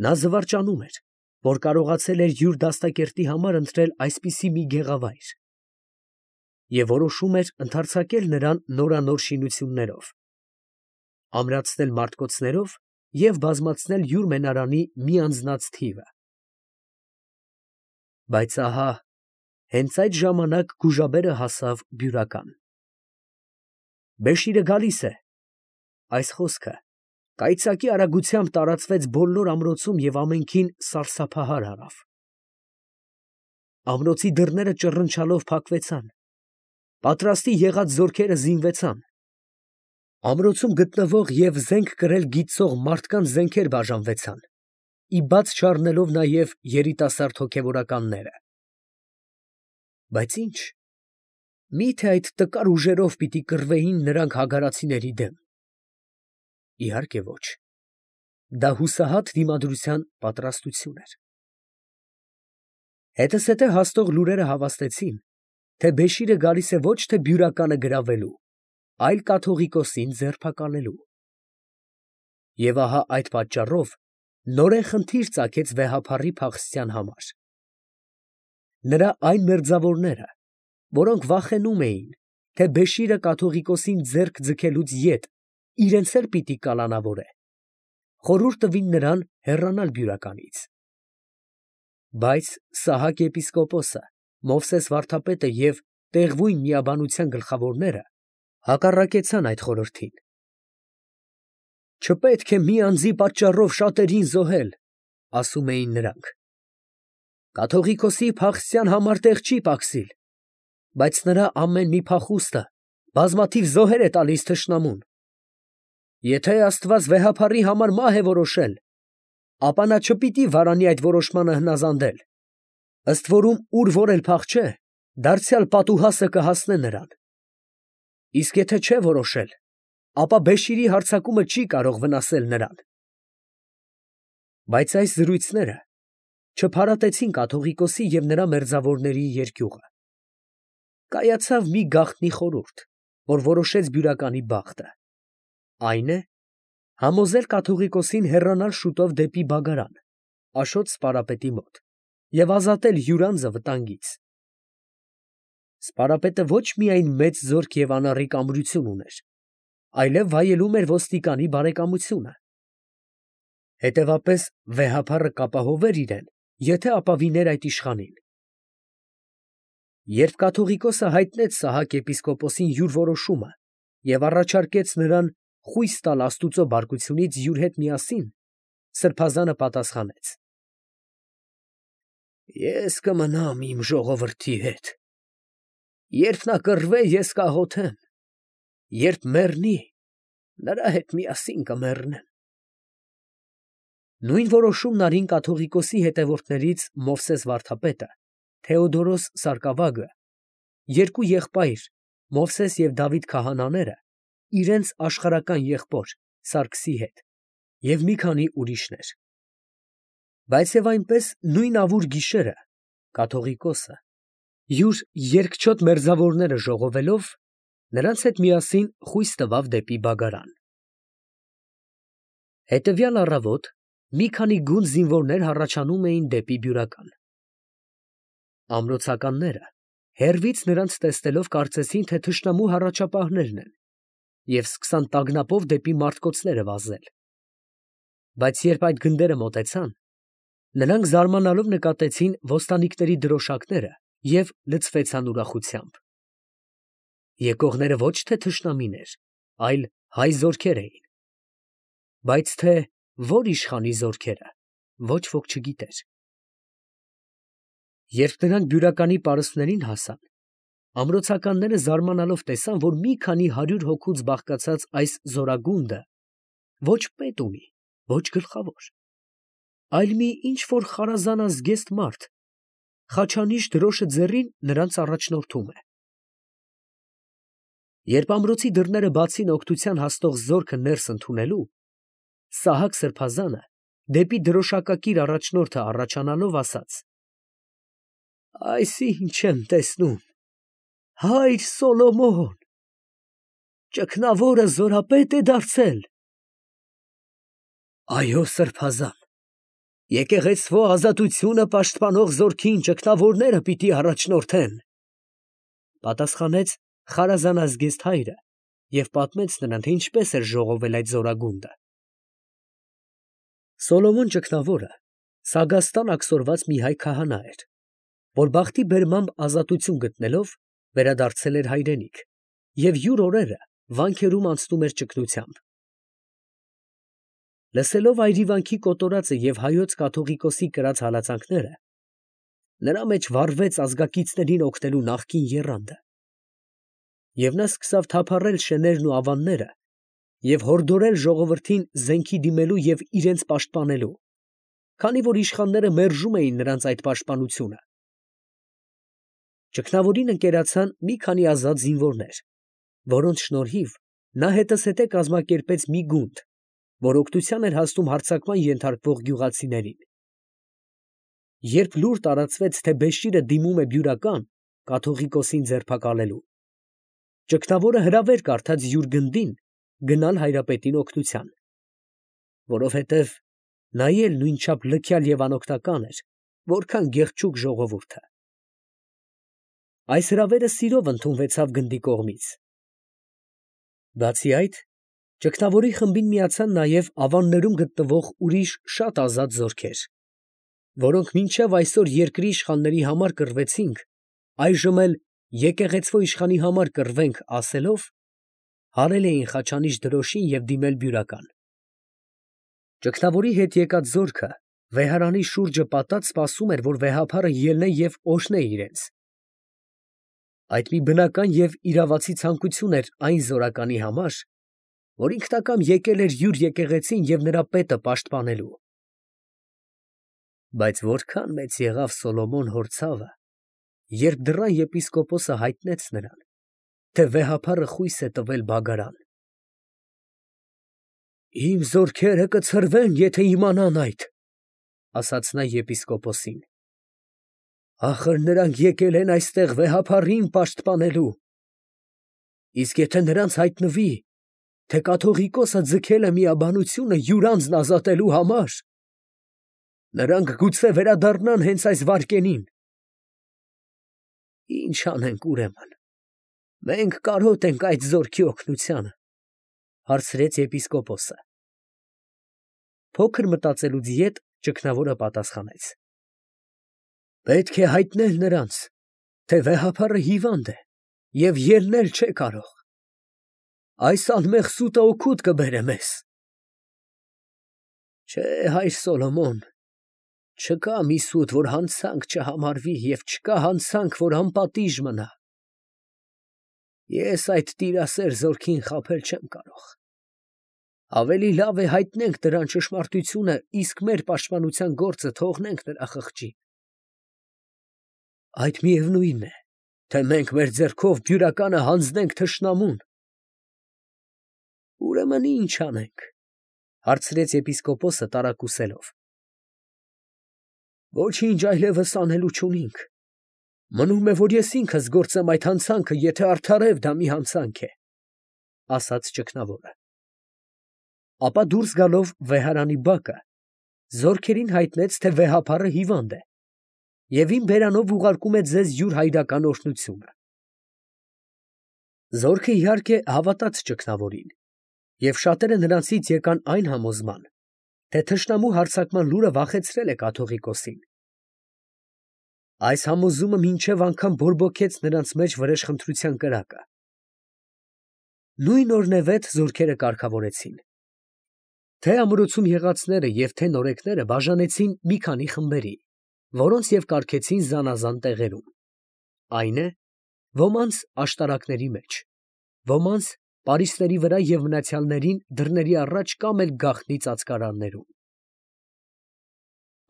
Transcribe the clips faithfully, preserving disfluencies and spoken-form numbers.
Նա զվարճանում էր, որ կարողացել էր յուր դաստակերտի համար ընտրել այսպիսի մի գեղավայր, և որոշում էր ընդարձակել նրան նորանոր շինություններով, ամրացնել մարտկոցներով և բազմացնել յուր մենարանի մի անձնաց թիվը… Բայց ահա հենց այդ ժամանակ գուժաբերը հասավ Բյուրական։ «Բեշիրը գալիս է» ֊ այս խոսքը կայծակի արագությամբ տարածվեց բոլոր ամրոցում և ամենքին սարսափահար արավ… Ամրոցի դռները ճռնչալով փակվեցան, պատրաստի եղած զորքերը զինվեցան, ամրոցում գտնվող և զենք կրել գիտծող մարդկանց զենքեր բաժանվեցան, ի բաց չառնելով նաև երիտասարդ հոգևորականները… Բայց ի՞նչ, մի՞թե այդ տկար ուժերով պիտի կռվեին նրանք հագարացիների դեմ… Իհարկե ոչ, դա հուսահատ դիմադրության պատրաստություն էր… Հետզհետե հասնող լուրերը հավաստեցին, թե Բեշիրը գալիս է ոչ թե Բյուրականը գրավելու, այլ կաթողիկոսին ձերբակալելու… Եվ ահա այդ պատճառով նորեն խնդիր ծագեց վեհափառի փախստյան համար… Նրա այն մերձավորները, որոնք վախենում էին, թե Բեշիրը կաթողիկոսին ձեռք ձգելուց ետ իրանց էլ պիտի կալանավորե, խորհուրդ տվին նրան հեռանալ Բյուրականից… Բայց Սահակ եպիսկոպոսը, Մովսես վարդապետը և տեղվույն միաբանության գլխավորները հակառակեցան այդ խորհրդին… «Չպետք է մի անձի պատճառով շատերին զոհել, ֊ ասում էին նրանք, ֊ կաթողիկոսի փախստյան համար տեղ չի պակասիլ, բայց նրա ամեն մի փախուստը բազմաթիվ զոհեր է տալիս թշնամուն… Եթե աստված վեհափառի համար մահ է որոշել, ապա նա չպիտի վարանի այդ որոշմանը հնազանդել, ըստ որում ուր որ էլ փախչե, դարձյալ պատուհասը կհասնե նրան… Իսկ եթե չէ որոշել, ապա Բեշիրի հարձակումը չի կարող վնասել նրան…» Բայց այս զրույցները չփարատեցին կաթողիկոսի և նրա մերձավորների երկյուղը… Կայացավ մի գաղտնի խորհուրդ, որ որոշեց Բյուրականի բախտը… Այն է, համոզել կաթողիկոսին հեռանալ շուտով դեպի Բագարան, Աշոտ սպարապետի մոտ, և ազատել յուր անձը վտանգից… Սպարապետը ոչ միայն մեծ զորք և անառիկ ամրություն ուներ, այլև վայելում էր ոստիկանի բարեկամությունը… Հետևապես վեհափառը կապահովեր իրան, եթե ապավիներ այդ իշխանին… Երբ կաթողիկոսը հայտնեց Սահակ եպիսկոպոսին յուր որոշումը և առաջարկեց նրան խույս տալ աստուծո բարկությունից յուր հետ միասին, սրբազանը պատասխանեց. «Ես կմնամ իմ ժողովրդի հետ… Երբ նա կռվե, ես կաղոթեմ, երբ մեռնի, նրա հետ միասին կմեռնեմ…» Նույն որոշումն արին կաթողիկոսի հետևորդներից Մովսես վարդապետը, Թեոդորոս սարկավագը, երկու եղբայր Մովսես և Դավիթ քահանաները իրանց աշխարհական եղբոր Սարգսի հետ և մի քանի ուրիշներ… Բայց և այնպես նույն ավուր գիշերը կաթողիկոսը, յուր երկչոտ մերձավորները ժողովելով, նրանց հետ միասին խույս տվավ դեպի Բագարան… Հետևյալ առավոտ մի քանի գունդ զինվորներ հառաչանում էին դեպի Բյուրական… Ամրոցականները հեռվից նրանց տեսնելով կարծեցին, թե թշնամու հառաչապահներն են, և սկսան տագնապով դեպի մարտկոցները վազել… Բայց երբ այդ գնդերը մոտեցան, նրանք զարմանալով նկատեցին ոստանիկների դրոշակները և լցվեցան ուրախությամբ… Եկողները ոչ թե թշնամիներ, այլ հայ զորքեր էին… Բայց թե ո՞ր իշխանի զորքերը, ոչ ոք չգիտեր… Երբ նրանք Բյուրականի պարիսպներին հասան, ամրոցականները զարմանալով տեսան, որ մի քանի հարյուր հոգուց բաղկացած այս զորագունդը ոչ պետ ունի, ոչ գլխավոր, այլ մի ինչ֊որ խարազանազգեստ մարդ խաչանիշ դրոշը ձեռին նրանց առաջնորդում է… Երբ ամրոցի դռները բացին օգնության հասնող զորքը ներս ընդունելու, Սահակ սրբազանը դեպի դրոշակակիր առաջնորդը հառաչանալով ասաց. «Այս ի՞նչ եմ տեսնում, հայր Սոլոմոն, ճգնավորը զորապետ է դարձել»։ ֊ Այո, սրբազան, Եկեղեցվո ազատությունը պաշտպանող զորքին ճգնավորները պիտի առաջնորդեն, պատասխանեց Խարազան Ազգեստ հայրը և պատմեց նրան, թե ինչպես էր ժողովել այդ զորագունդը։ Սոլոմոն ճգնավորը Սագաստան աքսորված մի հայ քահանա էր, որ բախտի բերմամբ ազատություն գտնելով վերադարձել էր հայրենիք և յուր օրերը վանքերում անցնում էր ճգնությամբ։ Լսելով այրիվանքի կոտորածը և հայոց կաթողիկոսի կրած հալածանքները, նրա մեջ վառվեց ազգակիցներին օգնելու նախկին եռանդը, և նա սկսավ թափառել շներն ու ավանները և հորդորել ժողովրդին զենքի դիմելու և իրենց պաշտպանելու, քանի որ իշխանները մերժում էին նրանց այդ պաշտպանությունը։ Ճգնավորին ընկերացան մի քանի ազատ զինվորներ, որոնց շնորհիվ նա հետզհետե կազմակերպեց մի գունդ, որ օգնության էր հասնում հարձակման ենթարկվող գյուղացիներին։ Երբ լուր տարածվեց, թե Բեշիրը դիմում է բյուրական կաթողիկոսին ձերբակալելու, ճգնավորը հրավեր կարդաց յուր գնդին գնալ հայրապետին օգնության, որովհետև նա էլ նույնչափ լքյալ և անօգնական էր, որքան գեղչուկ ժողովուրդը։ Այս հրավերը սիրով ընդունվեցավ գնդի կողմից։ Բացի այդ, ճգնավորի խմբին միացան նաև ավաններում գտնվող ուրիշ շատ ազատ զորքեր, որոնք մինչև այսօր երկրի իշխանների համար կռվեցինք, այժմ էլ եկեղեցվո իշխանի համար կռվենք ասելով, հարել էին խաչանիշ դրոշին և դիմել բյուրական։ Ճգնավորի հետ եկած զորքը վեհարանի շուրջը պատած սպասում էր, որ վեհափառը ելնե և օրհնե իրենց։ Այդ մի բնական և իրավացի ցանկություն էր այն զորականի համար, որ ինքնակամ եկել էր յուր եկեղեցին և նրա պետը պաշտպանելու։ Բայց որքան մեծ եղավ Սոլոմոն հոր ցավը, երբ դռան եպիսկոպոսը հայտնեց նրան, թե վեհափառը խույս է տվել բագարան։ «Իմ զորքերը կցրվեն, եթե իմանան այդ, ֊ ասաց նա եպիսկոպոսին. ֊ ախր նրանք եկել են այստեղ վեհափառին պաշտպանելու, իսկ եթե նրանց հայտնվի, թե կաթողիկոսը ձգել է միաբանությունը յուր անձն ազատելու համար, նրանք գուցե վերադառնան հենց այս վայրկենին։ Ի՞նչ անենք ուրեմն, մենք կարոտ ենք այդ զորքի օգնությանը, ֊ հարցրեց եպիսկոպոսը։ Փոքր մտածելուց յետ ճգնավորը պատասխանեց. ֊ Պետք է հայտնել նրանց, թե վեհափառը հիվանդ է և ելնել չէ կարող. այս անմեղ սուտը օգուտ կբերե մեզ։ Չէ, հայր Սոլոմոն, չկա մի սուտ, որ հանցանք չհամարվի, և չկա հանցանք, որ անպատիժ մնա։ Ես այդ տիրասեր զորքին խաբել չեմ կարող. ավելի լավ է հայտնենք դրան ճշմարտությունը, իսկ մեր պաշտպանության գործը թողնենք նրա խղճին։ Այդ միևնույն է, թե մենք մեր ձեռքով բյուրականը հանձնենք թշնամուն։ Ուրեմն ի՞նչ անենք, ֊ հարցրեց եպիսկոպոսը տարակուսելով։ Ոչինչ այլևս անելու չունենք. մնում է, որ ես ինքս գործեմ այդ հանցանքը, եթե արդարև դա մի հանցանք է, ֊ ասաց ճգնավորը։ Ապա դուրս գալով վեհարանի բակը, զորքերին հայտնեց, թե վեհափառը հիվանդ է և իմ բերանով ուղարկում է ձեզ յուր հայրական օրհնությունը։ Զորքը իհարկե հավատաց ճգնավորին, և շատերը նրանցից եկան այն համոզման, թե թշնամու հարձակման լուրը վախեցրել է կաթողիկոսին։ Այս համոզումը մինչև անգամ բորբոքեց նրանց մեջ վրեժխնդրության կրակը։ Նույն օրնևեթ զորքերը կարգավորեցին։ Թե ամրոցում եղածները և թե նորեկները բաժանեցին մի քանի խմբերի, որոնց և կարգեցին զանազան տեղերում, այն է, ոմանց աշտարակների մեջ, ոմանց պարիսպների վրա և մնացյալներին դռների առաջ կամ էլ գաղտնի ծածկարաններում։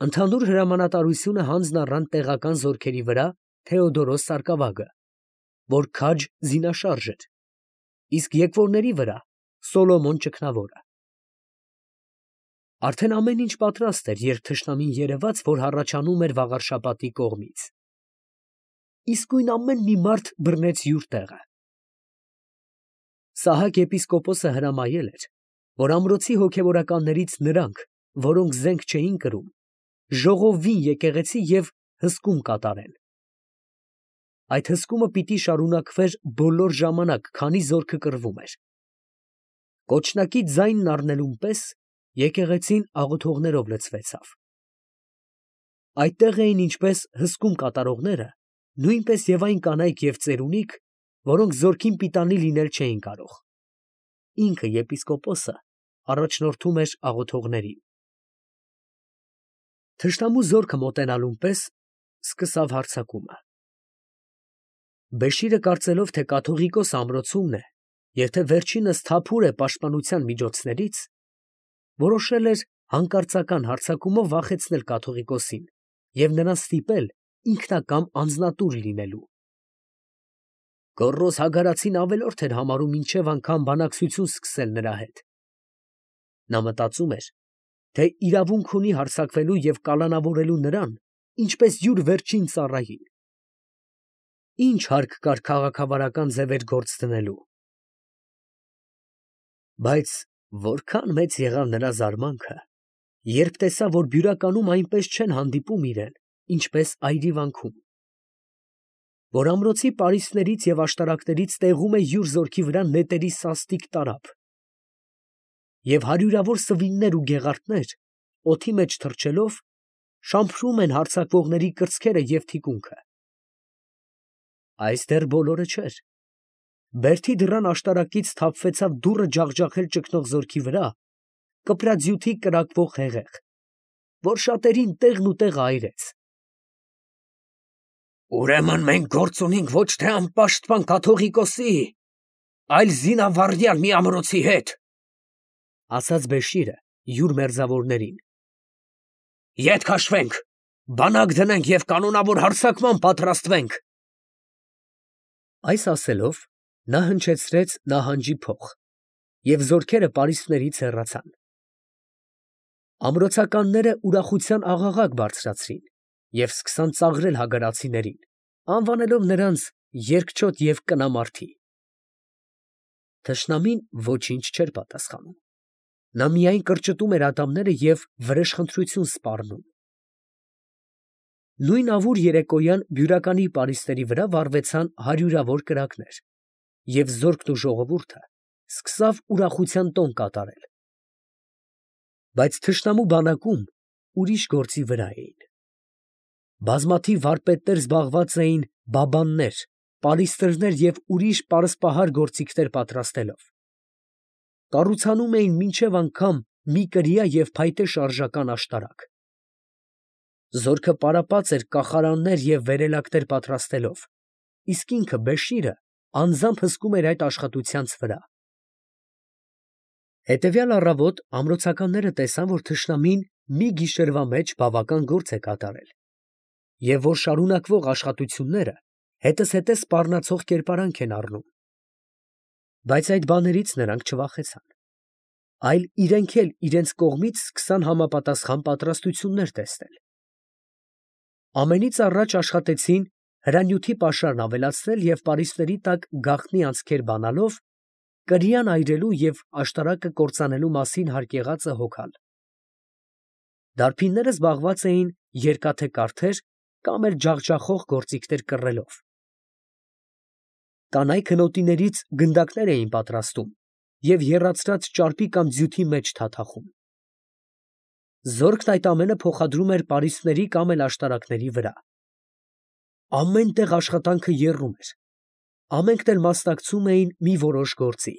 Ընդհանուր հրամանատարությունը հանձն առան տեղական զորքերի վրա Թեոդորոս սարկավագը, որ քաջ զինաշարժ էր, իսկ եկվորների վրա Սոլոմոն ճգնավորը։ Արդեն ամեն ինչ պատրաստ էր, երբ թշնամին երևաց, որ հառաչանում էր Վաղարշապատի կողմից։ Իսկույն ամեն մի մարդ բռնեց յուր տեղը։ Սահակ եպիսկոպոսը հրամայել էր, որ ամրոցի հոգևորականներից նրանք, որոնք զենք չէին կրում, ժողովին եկեղեցի և հսկում կատարեն։ Այդ հսկումը պիտի շարունակվեր բոլոր ժամանակ, քանի զորքը կռվում էր։ Կոչնակի ձայնն առնելուն պես եկեղեցին աղոթողներով լցվեցավ։ Այդտեղ էին ինչպես հսկում կատարողները, նույնպես և այն կանայք և ծերունիք, որոնք զորքին պիտանի լինել չէին կարող։ Ինքը եպիսկոպոսը առաջնորդում էր աղոթողներին։ Թշնամու զորքը մոտենալուն պես սկսավ հարձակումը։ Բեշիրը կարծելով, թե կաթողիկոս ամրոցումն է և թե վերջինս թափուր է պաշտպանության միջոցներից, որոշել էր հանկարծական հարձակումով վախեցնել կաթողիկոսին և նրան ստիպել ինքնակամ անձնատուր լինելու։ Գոռոզ Հագարացին ավելորդ էր համարում մինչև անգամ բանակցություն սկսել նրա հետ։ Նա մտածում էր, թե իրավունք ունի հարձակվելու և կալանավորելու նրան, ինչպես յուր վերջին ծառային։ Ի՞նչ հարկ կար քաղաքավարական ձևեր գործ դնելու։ Բայց որքան մեծ եղավ նրա զարմանքը, երբ տեսավ, որ բյուրականում այնպես չեն հանդիպում իրան, ինչպես այրիվանքում, որ ամրոցի պարիսպներից և աշտարակներից տեղում է յուր զորքի վրա նետերի սաստիկ տարափ, և հարյուրավոր սվիններ ու գեղարդներ, օդի մեջ թռչելով, շամփրում են հարձակվողների կրծքերը և թիկունքը։ Այս դեռ բոլորը չէր. բերդի դռան աշտարակից թափվեցավ դուռը ջախջախել ճգնող զորքի վրա կպրաձյութի կրակվող հեղեղ, որ շատերին տեղն ու տեղը այրեց։ «Ուրեմն մենք գործ ունենք ոչ թե անպաշտպան կաթողիկոսի, այլ զինավառյալ մի ամրոցի հետ, ֊ ասաց Բեշիրը յուր մերձավորներին։ ֊ Ետ քաշվենք, բանակ դնենք և կանոնավոր հարձակման պատրաստվենք։ Այս ասելով, նա հնչեցրեց նահանջի փող, և զորքերը պարիսպներից հեռացան։ Ամրոցականները ուրախության աղաղակ բարձրացրին և սկսան ծաղրել հագարացիներին, անվանելով նրանց երկչոտ և կնամարդի։ Թշնամին ոչինչ չէր պատասխանում. նա միայն կրճտում էր ատամները և վրեժխնդրություն սպառնում։ Նույն ավուր երեկոյան բյուրականի պարիսպների վրա վառվեցան հարյուրավոր կրակներ, և զորքն ու ժողովուրդը սկսավ ուրախության տոն կատարել։ Բայց թշնամու բանակում ուրիշ գործի վրա էին։ Բազմաթիվ վարպետներ զբաղված էին բաբաններ, պալիստրներ և ուրիշ պարսպահար գործիքներ պատրաստելով։ Կառուցանում էին մինչև անգամ մի կրիա և փայտե շարժական աշտարակ։ Զորքը պարապած էր կախարաններ և վերելակներ պատրաստելով, իսկ ինքը Բեշիրը անձամբ հսկում էր այդ աշխատությանց վրա։ Հետևյալ առավոտ ամրոցականները տեսան, որ թշնամին մի գիշերվա մեջ բավական գործ է կատարել, և որ շարունակվող աշխատությունները հետզհետե սպառնացող կերպարանք են առնում։ Բայց այդ բաներից նրանք չվախեցան, այլ իրենք էլ իրենց կողմից սկսան համապատասխան պատրաստություններ տեսնել։ Ամենից առաջ աշխատեցին հրանյութի պաշարն ավելացնել և պարիսպների տակ գաղտնի անցքեր բանալով կրիան այրելու և աշտարակը կործանելու մասին հարկ եղածը հոգալ։ Դարբինները զբաղված էին երկաթե կարդեր կամ էլ ջախջախող գործիքներ կռելով։ Կանայք հնոտիներից գնդակներ էին պատրաստում և եռացրած ճարպի կամ ձյութի մեջ թաթախում։ Զորքն այդ ամենը փոխադրում էր պարիսպների կամ էլ աշտարակների վրա։ Ամեն տեղ աշխատանքը եռում էր, ամենքն էլ մասնակցում էին մի որոշ գործի։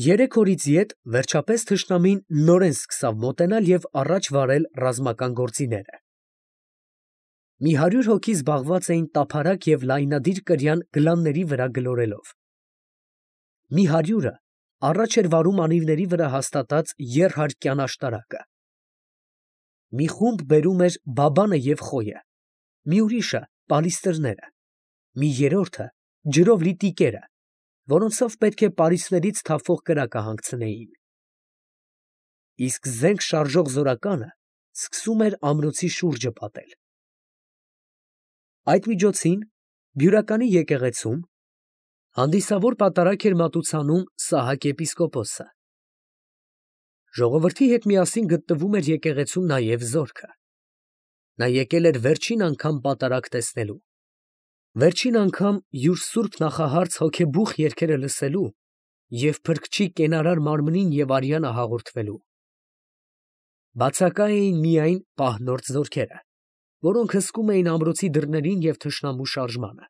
Երեք օրից ետ վերջապես թշնամին նորեն սկսավ մոտենալ և առաջ վարել ռազմական գործիները։ Մի հարյուր հոգի զբաղված էին տափարակ և լայնադիր կրյան գլանների վրա գլորելով։ Մի հարյուրը առաջ էր վարում անիվների վրա հաստատած եռհարկյան աշտարակը։ Մի խումբ բերում էր բաբանը և խոյը, մի ուրիշը պալիստրները, մի երրորդը ջրով լի տիկերը, որոնցով պետք է պարիսպներից թափվող կրակը հանգցնեին։ Իսկ զենք շարժող զորականը սկսում էր ամրոցի շուրջը պատել։ Այդ միջոցին բյուրականի եկեղեցում հանդիսավոր պատարագ էր մատուցանում Սահակ եպիսկոպոսը։ Ժողովրդի հետ միասին գտնվում էր եկեղեցում նաև զորքը։ Նա եկել էր վերջին անգամ պատարագ տեսնելու, վերջին անգամ յուր սուրբ նախահարց հոգեբուխ երգերը լսելու և փրկչի կենարար մարմնին և արյանը հաղորդվելու։ Բացակա էին միայն պահնորդ զորքերը, որոնք հսկում էին ամրոցի դռներին և թշնամու շարժմանը։